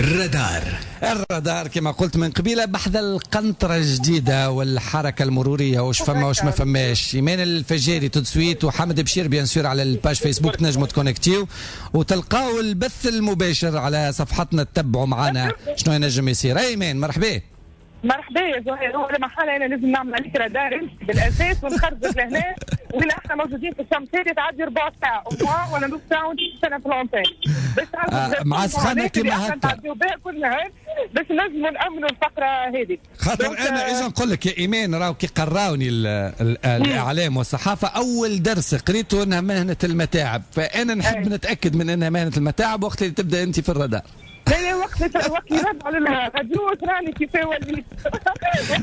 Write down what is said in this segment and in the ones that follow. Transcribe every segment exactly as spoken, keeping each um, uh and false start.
الرادار. الرادار كما قلت من قبيلة بحذا القنطرة الجديدة والحركة المرورية، واش فما واش ما فماش. ايمان الفجاري tout de suite وحمد بشير bien sûr على ال page فيسبوك تنجموا تكونكتيو وتلقاو البث المباشر على صفحتنا، تتبعوا معنا شنو ينجم يصير. ايمان مرحبا. مرحبا يا زهير. هو لما حالة انا لازم نعمل عليك رادار بالاساس ونخرجك لهنا وين احنا موجودين في الشمس هذه، تعدي ربع ساعة ولا نص ساعة وانت تستنى في l'antenne باش آه مع سخانه كيما هكا تعديو بها كل نهار باش نجموا نامنوا الفقرة هذه. خاطر انا اجا نقول لك يا ايمان، راهو كي قراوني ال ال الاعلام والصحافة اول درس قريته انها مهنة المتاعب، فانا نحب نتاكد من انها مهنة المتاعب وقت اللي تبدا انت في الرادار. لا لا، وقت وقت يرد على الراديو تراني كيف وليت وقت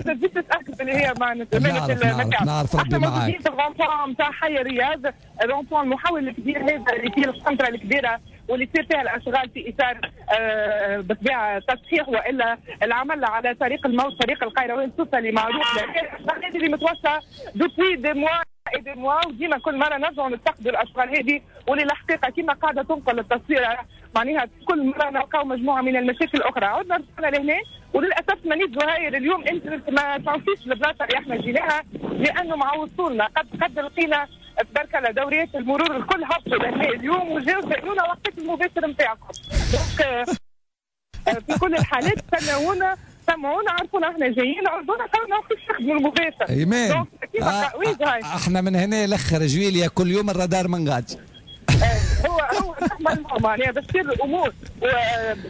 تزيد تتاكد اللي هي معناتها مهنة المتاعب. نعرف ربي معاك. احنا موجودين في ال rond-point نتاع حي الرياض، ال rond-point المحول الكبير هذا اللي فيه القنطرة الكبيرة واللي تصير فيها الاشغال في اطار آه بالطبيعة تصحيح والا العمل على طريق الموت، طريق القيروان سوسة اللي معروف الاشغال هذه اللي متوسعه depuis des mois et des mois، وديما كل مرة نرجعوا نفتقدوا الاشغال هذه واللي الحقيقة كما قاعدة تنقل التصوير معناها كل مرة نلقاو مجموعة من المشاكل الاخرى. عدنا رجعنا لهنا وللاسف مانيش زهاير اليوم انت ما تعرفيش البلاصة اللي احنا جيناها، لانه مع وصولنا قد قد لقينا تبارك الله دوريات المرور الكل هبطوا لهنا اليوم وجاو سالونا وقت المباشر نتاعكم. donc في كل الحالات استناونا، سمعونا، عرفونا احنا جايين، عرضونا قالوا وقت نخدموا المباشر. ايمان آه احنا من هنا لاخر جويليا كل يوم الرادار من غادي. هو هو معناها باش تصير الامور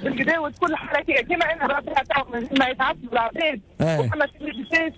بالكدا وتكون الحركية كما انا راسها ما يتعطلوا العباد وفما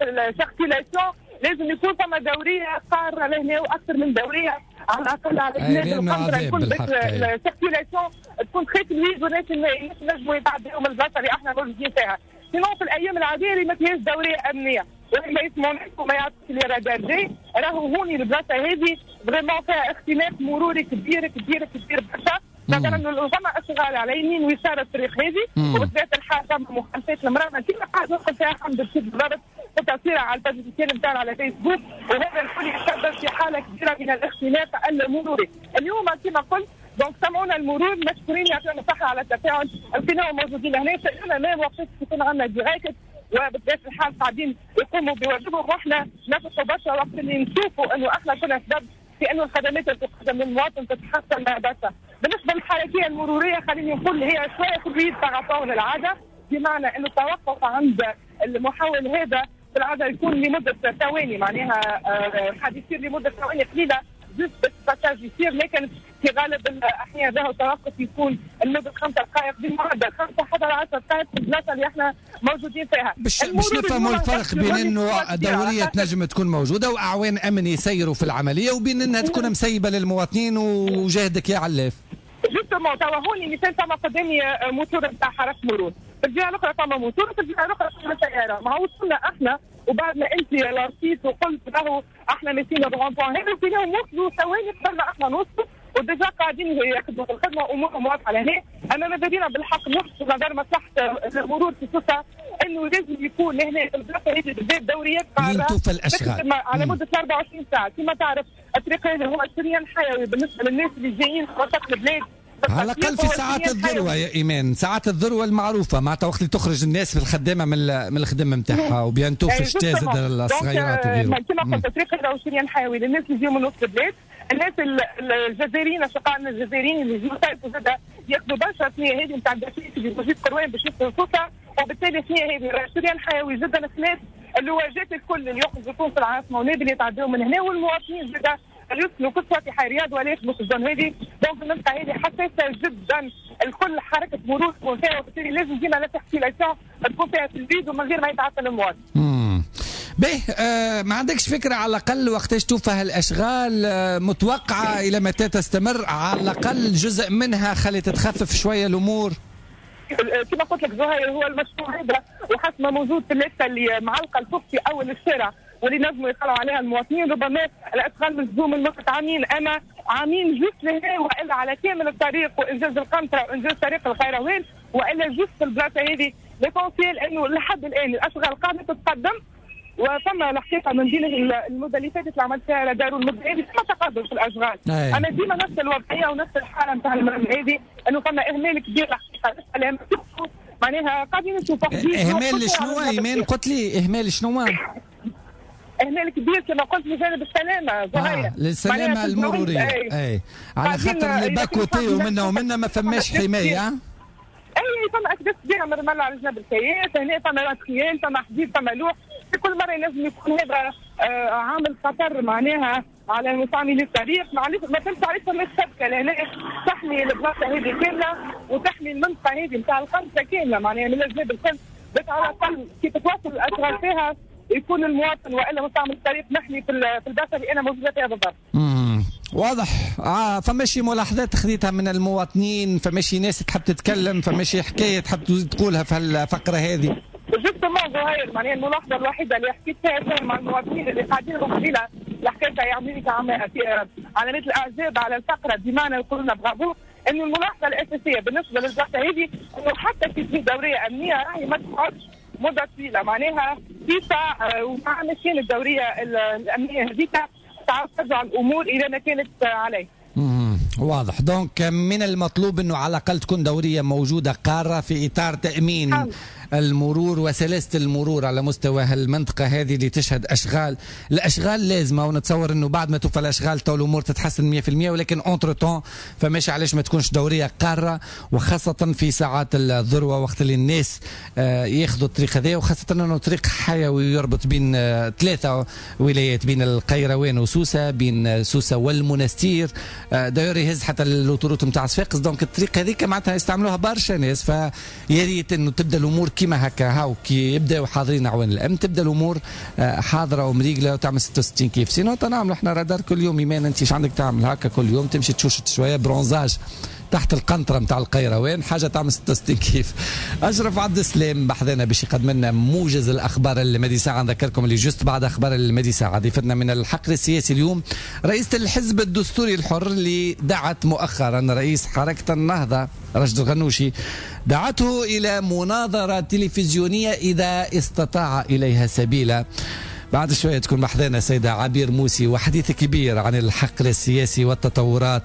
ال circulation لازم يكون فما دورية قارة لهنا واكثر من دورية على الاقل على جناب القنطرة الكل باش ال circulation تكون très fluide والناس الناس ينجموا يتعداو من البلاصة اللي احنا موجودين فيها. sinon في الايام العادية اللي ما فيهاش دورية امنية واللي ما يسمعوناش وما يعرفوش اللي رادار جاي، راهو هوني البلاصة هذه vraiment فيها اختناق مروري كبير كبير كبير برشا. مثلا انه فما اشغال على يمين ويسار الطريق هذه، وبطبيعة الحال فما مخالفات المراة كيما قاعد نوصل فيها حمد بشير بالضبط وتاثيرها على ال page officielle نتاعنا على فيسبوك، وهذا الكل يسبب في حاله كبيرة من الاختناق المروري. اليوم كما قلت donc سمعونا المرور مشكورين يعطينا الصحة على التفاعل، لقيناهم موجودين هنا، سالونا ما وقت يكون عندنا direct، وبطبيعة الحال قاعدين يقوموا بواجبهم، واحنا نفرحوا برشا وقت اللي نشوفوا انه احنا كنا سبب في انه الخدمات اللي تقدم للمواطن تتحسن برشا. بالنسبة للحركيه المرورية خليني نقول هي شوية fluide par rapport للعادة، بمعنى انه التوقف عند المحول هذا في العادة يكون لمدة ثواني، معناها قاعد يصير لمدة ثواني قليله juste passage يصير، لكن في غالب الاحيان له توقف يكون لمدة خمسة دقائق بمعدل خمسة حتى عشر دقائق في البلاصة اللي احنا موجودين فيها. باش باش نفهموا الفرق بين انه دورية تنجم تكون موجودة واعوان امن يسيروا في العملية وبين انها تكون مسيبه للمواطنين وجهدك يا علاف. justement توا هوني مثال فما قدامي موتور نتاع حرس مرور، في الجهة الاخرى فما موتور، في الجهة الاخرى فما سيارة، ما وصلنا احنا وبعد ما انت لارسيت وقلت راهو احنا ماشيين بال rond-point هذا فينا وصلوا ثواني قبل ما احنا نوصلوا و déjà قاعدين يخدموا في الخدمة وامورهم واضحة لهنا. اما ماذا بينا بالحق نحط نظر مصلحة المرور في سوسة انه لازم يكون لهنا في البلاصة هذه بالذات دوريات قارة الاشغال على مده أربعة وعشرين ساعة. كما تعرف الطريق هذا هو شريان حيوي بالنسبة للناس اللي جايين في وسط البلاد، على الاقل في ساعات الذروة يا ايمان، ساعات الذروة المعروفة معناتها وقت اللي تخرج الناس في الخدامة من من الخدمة نتاعها و bientôt في الشتاء زاد الصغيرات وغيره. كما قلت الطريق هذا هو شريان حيوي للناس اللي يجيو من وسط البلاد، الناس الجزائريين اشقائنا الجزائريين اللي يجيو يصيفوا زاد ياخذوا برشا الثنية هذه نتاع الدرسيس اللي موجود قروان باش يوصلوا سوسة، وبالتالي الثنية هذه شريان حيوي جدا خلاف اللواجات الكل اللي يخرجوا تونس العاصمة ونابل اللي يتعداو من هنا، والمواطنين زاد اللي يسكنوا كل في حي رياض ولا يخدموا في ال zone هذه. donc المنطقة هذه حساسة جدا، الكل حركة مرور تكون فيها، وبالتالي لازم ديما la circulation تكون فيها في البيد ومن غير ما يتعطل المواطن. به آه ما عندكش فكرة على الاقل وقتاش توفى هالاشغال؟ آه متوقعه الى متى تستمر؟ على الاقل جزء منها خلي تتخفف شوية الامور. كما قلت لك زهير هو المشروع هذا وحسب ما موجود في الليستة اللي معلقه الفوق في اول الشارع واللي نجموا يطلعوا عليها المواطنين، ربما الاشغال ملزوم من وقت عامين، اما عامين juste لهنا والا على كامل الطريق وانجاز القنطرة وانجاز طريق القيروان والا juste في البلاصة هذه. l'essentiel انه لحد الان الاشغال قاعدة تتقدم، وفما الحقيقة من بين المدة اللي فاتت اللي عملت فيها رادار والمدة هذه فما تقدم في الاشغال. اما ديما نفس الوضعية ونفس الحالة نتاع المرة هذه انه فما اهمال كبير الحقيقة. معناها قاعدين نشوفوا اهمال شنو ايمان؟ قلت لي اهمال شنو؟ اهمال كبير كما قلت من جانب السلامة آه للسلامة المرورية. اي, أي. على خاطر les bas-côtés ومنا ومنا ما فماش حماية. اي فما اكداس كبيرة من الرمل على جنب الكياس، هنا فما matériel، فما حديد، فما لوح، في كل مرة ينجم يكون هذا آه عامل خطر معناها على مستعملي الطريق. معليش ما فهمتش علاش فما شبكة لهنا تحمي البلاصة هذه كاملة وتحمي المنطقة هذه نتاع القنطرة كاملة معناها من الجناب الكل، باش على الاقل كي تتواصل الاشغال فيها يكون المواطن والا مستعمل الطريق محمي في البلاصة اللي انا موجودة فيها بالضبط. امم واضح. آه فماشي ملاحظات خذيتها من المواطنين، فماشي ناس تحب تتكلم، فماشي حكاية تحب تقولها في الفقرة هذه؟ justement زهير معناها الملاحظة الوحيدة اللي حكيت فيها مع المواطنين اللي قاعدين قبيلة الحكاية يعملوا لي علامات الاعجاب على الفقرة بمعنى يقولوا لنا برافو، انه الملاحظة الاساسية بالنسبة للبلاصه هذه انه حتى كي تجي دورية امنية راهي ما تقعدش مده طويلة، معناها فيسع ومع مشيان الدورية الامنية هذيك تعاود ترجع الامور الى ما كانت عليه. امم واضح. donc من المطلوب انه على الاقل تكون دورية موجودة قارة في اطار تامين حم. المرور وسلاسه المرور على مستوى المنطقة هذه اللي تشهد اشغال، الاشغال لازمه ونتصور انه بعد ما توفى الاشغال تو الامور تتحسن مية بالمية، ولكن entre-temps فماشي علاش ما تكونش دورية قارة، وخاصة في ساعات الذروة وقت اللي الناس ياخذوا الطريق هذا، وخاصة انه طريق حيوي يربط بين ثلاثة ولايات، بين القيروان وسوسه، بين سوسة والمنستير، d'ailleurs يهز حتى l'autoroute نتاع صفاقس. donc الطريق هذيك معناتها يستعملوها برشا ناس، فيا ريت انه تبدا الامور كيما هكا، هاو كي يبداو حاضرين اعوان الامن تبدا الامور حاضره ومريقله وتعمل ستة وستين كيف. sinon نعملوا احنا رادار كل يوم. ايمان انت ايش عندك تعمل هكا كل يوم؟ تمشي تشوشت شوية bronzage تحت القنطرة نتاع القيروان، حاجة تعمل ستة وستين كيف. اشرف عبد السلام بحذنا باش يقدم لنا موجز الاخبار المدي ساعة. نذكركم اللي juste بعد اخبار المدي ساعة ضيفتنا من الحقل السياسي اليوم رئيسه الحزب الدستوري الحر اللي دعت مؤخرا رئيس حركة النهضة راشد الغنوشي، دعته الى مناظرة تلفزيونية اذا استطاع اليها سبيلا. بعد شوية تكون بحذانا سيده عبير موسي وحديث كبير عن الحقل السياسي والتطورات.